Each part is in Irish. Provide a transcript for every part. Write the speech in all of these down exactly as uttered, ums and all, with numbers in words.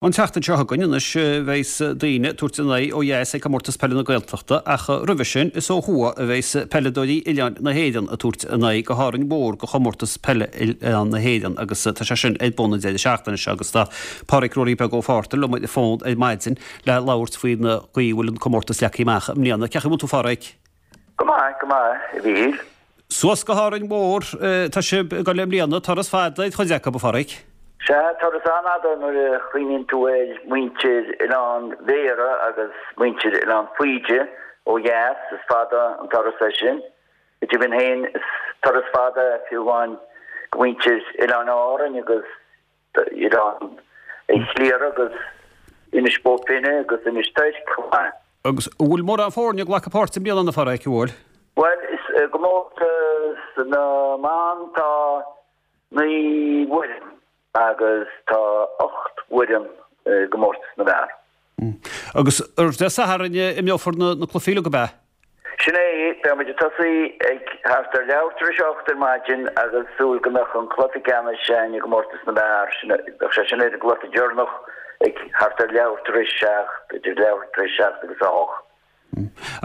An tseachtain seo chugainn anois bheas daoine ag tabhairt a n-aghaidh ó dheas ag Comórtas Peile na Gaeltachta ach roimhe sin is ó thuaidh a bheas peileadóirí Oileáin na hÉireann ag tabhairt a n-aghaidh go hÁrainn Mhór go Chomórtas Peile Oileáin na hÉireann agus tá sé sin ar bun an deireadh seachtaine seo agus tá Páraic Ruairí Beag Ó Fátharta liom ar an bhfón ar maidin le labhairt faoin gcaoi a bhfuil an comórtas leagtha amach i mbliana. Cén chaoi a bhfuil tú a Pháraic? Go maith, go maith, a Mhíchíl. Suas go hÁrainn Mhór tá sibh ag dul i mbliana, turas fada ar chuid acu, a Pháraic. Sea, turas an-fhada nuair a chuimhníonn tú ar mhuintir Oileán Bhéarra agus muintir Oileán Faoide ó dheas, is fada an turas é sin. Go deimhin féin, is turas fada é fiú amháin go muintir Oileáin Árainn agus Oileán Chliara agus Inis Bó Finne agus Inis Toirc chomh maith. Agus an bhfuil mórán foirne ag glacadh páirte i mbliana, a Pháraic, an bhfuil? Bhuel, i gcomórtas na mban tá naoi bhfoireann agus tá ocht bhfoireann i gcomórtas na bhfear. Agus ar Dé Sathairn a imreofar na cluichí uilig, ab ea? Sin é, beidh muid ag tosaí ag thart ar leathuair tar éis a hocht ar maidin agus súil go mbeadh an cluiche ceannais againn i gcomórtas na bhfear, sin, bheadh sé sin ar an gcluiche deireanach ag thart ar leathuair tar éis a seacht, idir leathuair tar éis a seacht agus a hocht.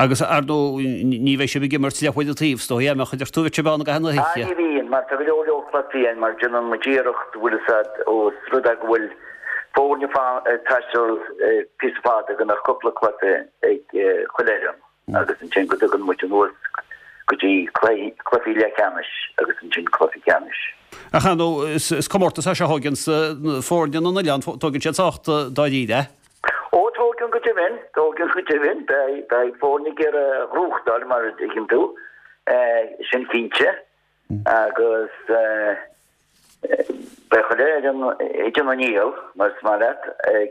Agus, ar ndóigh, ní bheidh sibh ag imirt leathuair an taobh, is dóigh, an mbeadh, a deir tú, bheadh sibh ann i gcaitheamh na hoíche. Ah, ní bhíonn, mar tá go leor leor cluichí ann, mar déanann muid iarracht, bhfuil fhios a'd, ós rud é go bhfuil foirne ag taisteal píosa fada, go mbeadh cúpla cluiche ag chuile fhoireann agus ansin go dtagann muid anuas go dtí cluichí leathcheannais agus ansin cluiche ceannais. Ach ar ndóigh, is comórtas é seo a thóganns foirne na n-oileán, tógann siad sách dáiríre é. Ó, tógann go deimhin, tógann go deimhin. Beidh foirne ag iarraidh a ghnóthachtáil, mar a dtuigeann tú, sin cinnte. Agus beidh chuile fhoireann ag déanamh a ndícheall, mar is maith leat.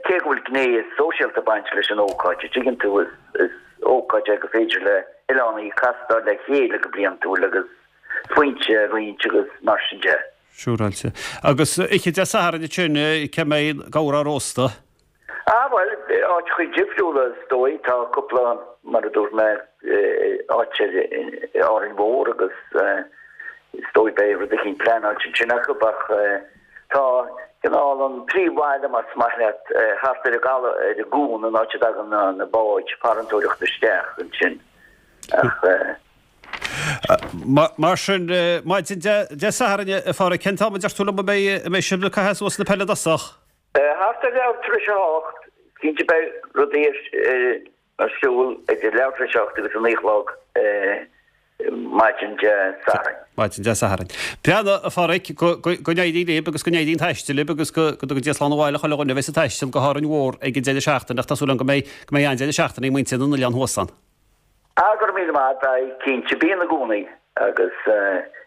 Cé go bhfuil gné sóisialta ag baint leis an ócáid, a dtuigeann tú, is ócáid é gur féidir le hoileánaigh castáil le chéile go bliantúil agus smaointe a roinnt agus mar sin de. Siúráilte. Agus oíche Dé Sathairn ansin, cá mbeidh gabhar á róstadh? Ah, bhuel, áiteachaí difriúla is dóigh. Tá cúpla, mar a dúirt mé, áit ar Árainn Mhór agus is dóigh beidh rud eicínt pleanáilte ansin acu ach tá cineál an príomhbhaile, más maith leat, thart ar an gcaladh, ar an gcuan, an áit a dtagann na báid farantóireachta isteach ansin ach. Mar sin, maidin Dé Sathairn, a Pháraic, cén t-am a deir tú liom a mbeidh sibh ag caitheamh suas na peile i dtosach? Thart ar leathuair tar éis a hocht, cinnte beidh rudaí ar siúl idir leathuair tar éis a hocht agus a naoi a chlog maidin Dé Sathairn. Maidin Dé Sathairn. Breathnaigh, a Pháraic, go n-éirí libh agus go n-éirí an taisteal libh agus go dtuga Dia slán abhaile chuile dhuine a bheas ag taisteal go hÁrainn Mhór ag an deireadh seachtaine ach tá súil agam go mbeidh go mbeidh an-deireadh seachtaine ag muintir na n-oileán thuas ann. Ah, go raibh míle maith, beidh, cinnte, bíonn i gcónaí agus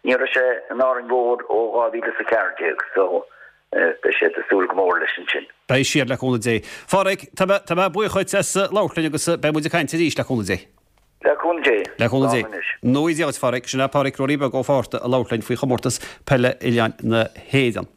ní raibh sé in Árainn Mhór ó dhá mhíle is a ceathair déag so beidh siad ag súil go mór leis ansin. Beidh siad, le cúnamh Dé. Pháraic, tá mé, tá mé buíoch dhuit as labhairt linn agus beidh muid ag caint arís, le cúnamh Dé. Le cúnamh Dé. Le cúnamh Dé. Slán anois. Dia dhuit, Pháraic. Sin é Páraic Ruairí Beag Ó Fátharta ag labhairt linn faoi chomórtas peile Oileáin na hÉireann.